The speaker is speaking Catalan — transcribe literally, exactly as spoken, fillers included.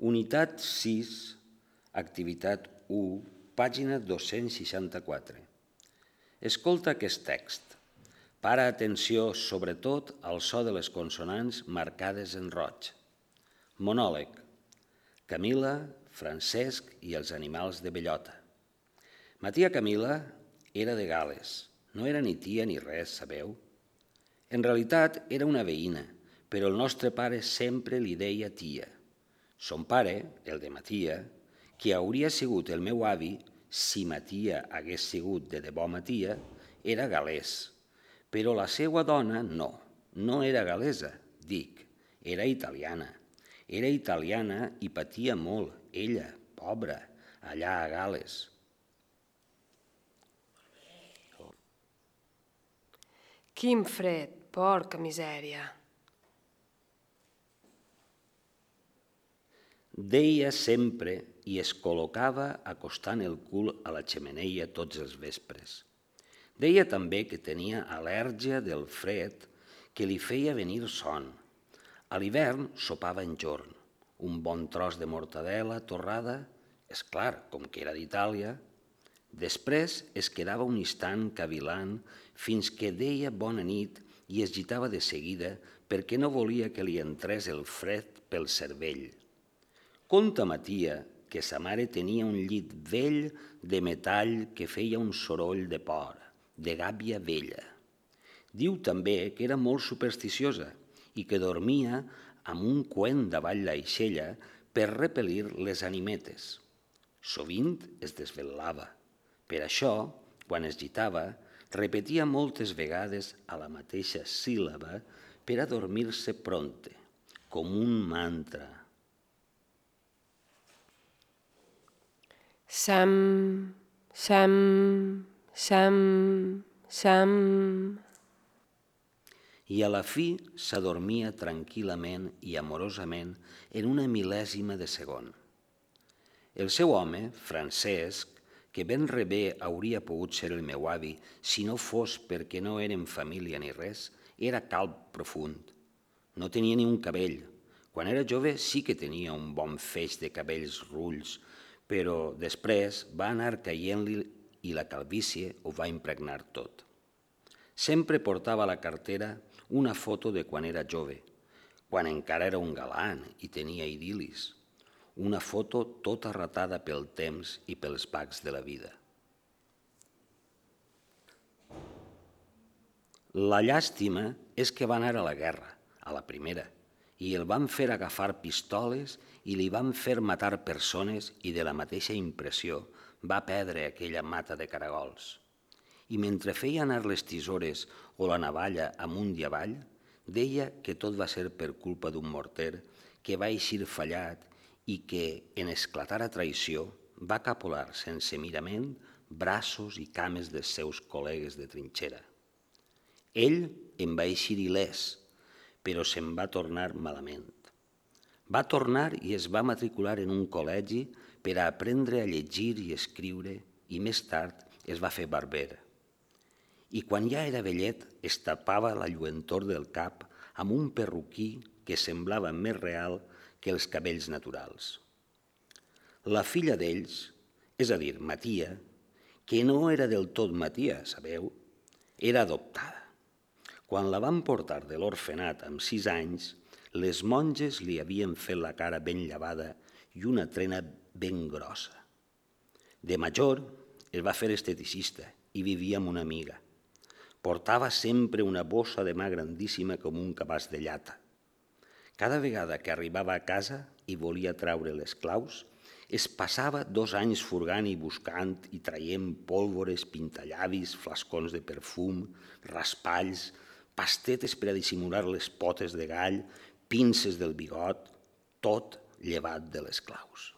Unitat sis, activitat u, pàgina dos-cents seixanta-quatre. Escolta aquest text. Para atenció sobretot al so de les consonants marcades en roig. Monòleg. Camila, Francesc i els animals de bellota. Ma tia Camila era de Gal·les. No era ni tia ni res, sabeu? En realitat era una veïna, però el nostre pare sempre li deia tia. Son pare, el de ma tia, que hauria sigut el meu avi si ma tia hagués sigut de debò ma tia, era gal·lès. Però la seva dona no, no era gal·lesa, dic, era italiana. Era italiana i patia molt, ella, pobra, allà a Gal·les. Quin fred, porca misèria. Deia sempre i es col·locava acostant el cul a la xemeneia tots els vespres. Deia també que tenia al·lèrgia del fred que li feia venir son. A l'hivern sopava enjorn, un bon tros de mortadela torrada, és clar, com que era d'Itàlia. Després es quedava un instant cavilant fins que deia bona nit i es gitava de seguida perquè no volia que li entrés el fred pel cervell. Conta ma tia que sa mare tenia un llit vell de metall que feia un soroll de por, de gàbia vella. Diu també que era molt supersticiosa i que dormia amb un coent davall l'aixella per repel·lir les animetes. Sovint es desvelava. Per això, quan es gitava, repetia moltes vegades a la mateixa síl·laba per a dormir-se prompte, com un mantra. Sam, sam, sam, sam. I a la fi s'adormia tranquil·lament i amorosament en una mil·lèsima de segon. El seu home, Francesc, que ben rebé hauria pogut ser el meu avi si no fos perquè no érem família ni res, era calb profund. No tenia ni un cabell. Quan era jove sí que tenia un bon feix de cabells rulls, però després va anar caient-li i la calvície ho va impregnar tot. Sempre portava a la cartera una foto de quan era jove, quan encara era un galant i tenia idil·lis. Una foto tota ratada pel temps i pels bacs de la vida. La llàstima és que va anar a la guerra, a la primera, i el van fer agafar pistoles i li van fer matar persones i de la mateixa impressió va perdre aquella mata de caragols. I mentre feia anar les tisores o la navalla amunt i avall, deia que tot va ser per culpa d'un morter que va eixir fallat i que, en esclatar a traïció, va capolar sense mirament braços i cames dels seus col·legues de trinxera. Ell en va eixir il·lès, però se'n va tornar malament. Va tornar i es va matricular en un col·legi per a aprendre a llegir i escriure i més tard es va fer barber. I quan ja era vellet es tapava la lluentor del cap amb un perruquí que semblava més real que els cabells naturals. La filla d'ells, és a dir, ma tia, que no era del tot ma tia, sabeu, era adoptada. Quan la van portar de l'orfenat amb sis anys, les monges li havien fet la cara ben llavada i una trena ben grossa. De major es va fer esteticista i vivia amb una amiga. Portava sempre una bossa de mà grandíssima com un cabàs de llata. Cada vegada que arribava a casa i volia treure les claus, es passava dos anys furgant i buscant i traient pólvores, pintallavis, flascons de perfum, raspalls, pastetes per a dissimular les potes de gall, pinces del bigot, tot llevat de les claus.